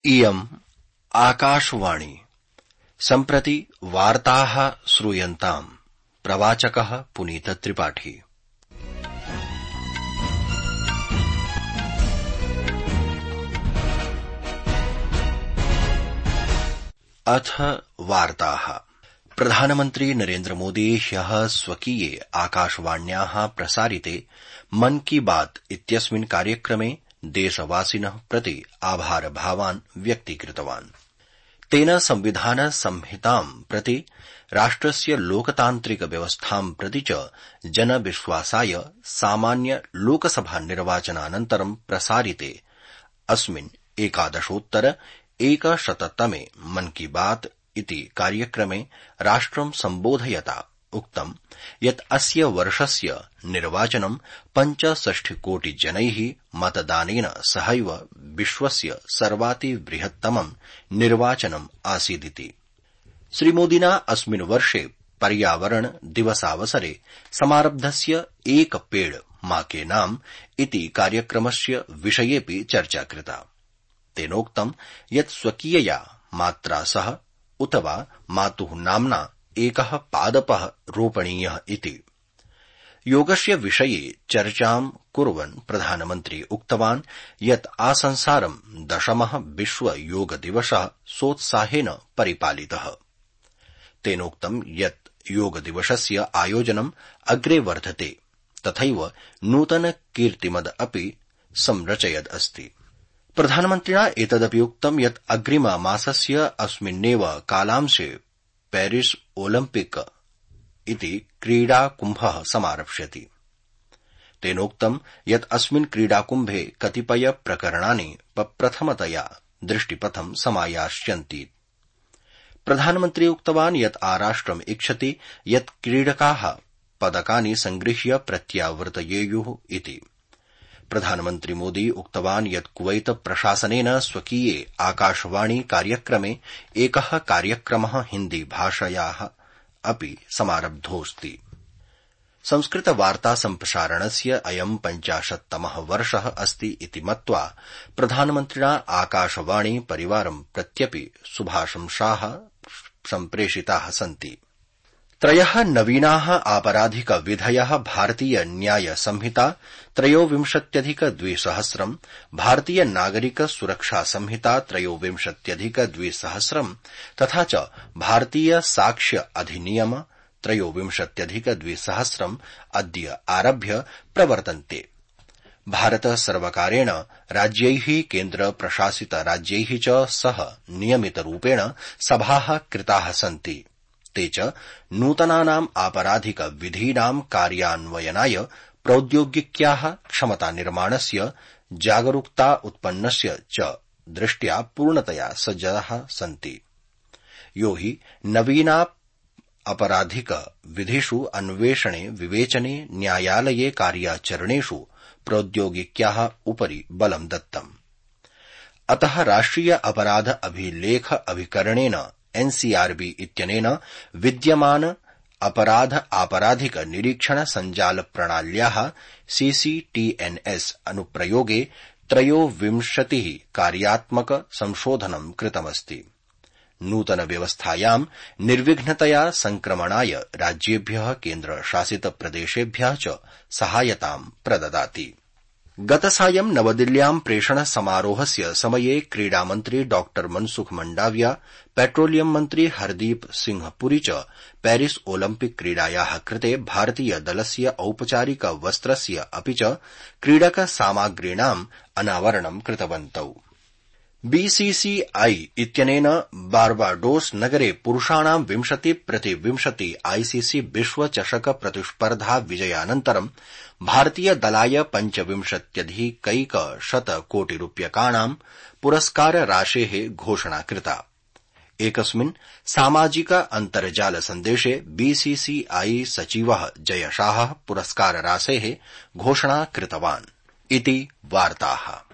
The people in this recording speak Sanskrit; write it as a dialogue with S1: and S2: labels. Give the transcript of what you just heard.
S1: इयम् आकाशवाणी। सम्प्रति वार्ताः श्रूयन्ताम्। प्रवाचकः पुनीत त्रिपाठी। अथ वार्ताः। प्रधानमन्त्री नरेन्द्र मोदी ह्यः स्वकीये आकाशवाण्याः प्रसारिते मन की बात इत्यस्मिन् कार्यक्रमे देशवासिनः प्रति आभारभावान् व्यक्तीकृतवान्। तेन संविधान संहिताम् प्रति, राष्ट्रस्य लोकतान्त्रिक व्यवस्थां प्रति च जनविश्वासाय सामान्य लोकसभा निर्वाचनानन्तरं प्रसारिते अस्मिन् 11-100तमे मन की बात इति कार्यक्रमे राष्ट्रं सम्बोधयता उक्तम् यत् अस्य वर्षस्य निर्वाचनं 65 कोटि जनैः मतदानेन सहैव विश्वस्य सर्वातिबृहत्तमं निर्वाचनम् आसीदिति। श्रीमोदिना अस्मिन् वर्षे पर्यावरण दिवसावसरे समारब्धस्य एक पेड़ मा के नाम इति कार्यक्रमस्य विषयेऽपि चर्चा कृता। तेनोक्तम् यत् स्वकीयया मात्रा सह उत वा मातुः नाम्ना एकः पादपः रोपणीयः इति। योगस्य विषये चर्चां कुर्वन् प्रधानमन्त्री उक्तवान् यत् आसंसारं 10मः विश्व योग दिवसः सोत्साहेन परिपालितः। तेनोक्तं यत् योग दिवसस्य आयोजनम् अग्रे वर्धते, तथैव नूतन कीर्तिमद् अपि संरचयद् अस्ति। प्रधानमन्त्रिणा एतदपि उक्तं यत् अग्रिममासस्य अस्मिन्नेव कालांशे पेरिस ओलिम्पिक इति क्रीडाकुम्भः समारप्स्यति। तेनोक्तं यत् अस्मिन् क्रीडाकुम्भे कतिपय प्रकरणानि प्रथमतया दृष्टिपथं समायास्यन्ति। प्रधानमन्त्री उक्तवान् यत् आराष्ट्रम् इच्छति यत् क्रीडकाः पदकानि संगृह्य प्रत्यावर्तयेयुः इति। प्रधानमन्त्री मोदी उक्तवान् यत् कुवैत प्रशासनेन स्वकीये आकाशवाणी कार्यक्रमे एकः कार्यक्रमः हिन्दी भाषायाः अपि समारब्धोऽस्ति। संस्कृत वार्ता सम्प्रसारणस्य अयं 50तमः वर्षः अस्ति इति मत्वा प्रधानमन्त्रिणा आकाशवाणी परिवारं प्रत्यपि शुभाशंसाः सम्प्रेषिताः सन्ति। 3 नवीनाः आपराधिक विधयः भारतीय न्याय संहिता 23+2000, भारतीय नागरिक सुरक्षा संहिता 23+2000 तथा च भारतीय साक्ष्य अधिनियम 23+2000 अद्य आरभ्य प्रवर्तन्ते। भारत सर्वकारेण राज्यैः केन्द्र प्रशासित राज्यैः च सह नियमितरूपेण सभाः कृताः सन्ति। ते च नूतनानाम् आपराधिक विधीनां कार्यान्वयनाय प्रौद्योगिक्याः क्षमता निर्माणस्य, जागरूकता उत्पन्नस्य च दृष्ट्या पूर्णतया सज्जाः सन्ति। यो हि नवीना अपराधिक विधिषु अन्वेषणे, विवेचने, न्यायालये कार्याचरणेषु प्रौद्योगिक्याः उपरि बलं दत्तम्। अतः राष्ट्रिय अपराध अभिलेख अभिकरणेन एनसीआरबी इत्यनेन विद्यमान अपराध आपराधिक निरीक्षण संजाल प्रणाल्याः सीसीटीएनएस अनुप्रयोगे 23 कार्यात्मक संशोधनं कृतमस्ति। नूतन व्यवस्थायां निर्विघ्नतया संक्रमणाय राज्येभ्यः केन्द्रशासित प्रदेशेभ्यः च सहायतां प्रददाति। गतसायं नवदिल्ल्यां प्रेषण समारोहस्य समये क्रीडामन्त्री डॉ मनसुख मंडाविया, पेट्रोलियम मन्त्री हरदीप सिंह पुरी च पेरिस ओलिम्पिक क्रीडायाः कृते भारतीय दलस्य औपचारिक वस्त्रस्य अपि च क्रीडक सामग्रीणाम् अनावरणं कृतवन्तौ। बीसीसीआई इत्यनेन बार्बाडोस नगरे पुरुषाणां 20x20 आईसीसी विश्व चषक प्रतिस्पर्धा विजयानन्तरं भारतीय दलाय 25,100 कोटिरूप्यकाणां पुरस्कार राशेः घोषणा कृता। एकस्मिन् सामाजिक अन्तर्जाल सन्देशे बीसीसीआई सचिवः जय शाहः पुरस्कार राशेः घोषणा कृतवान् इति वार्ताः।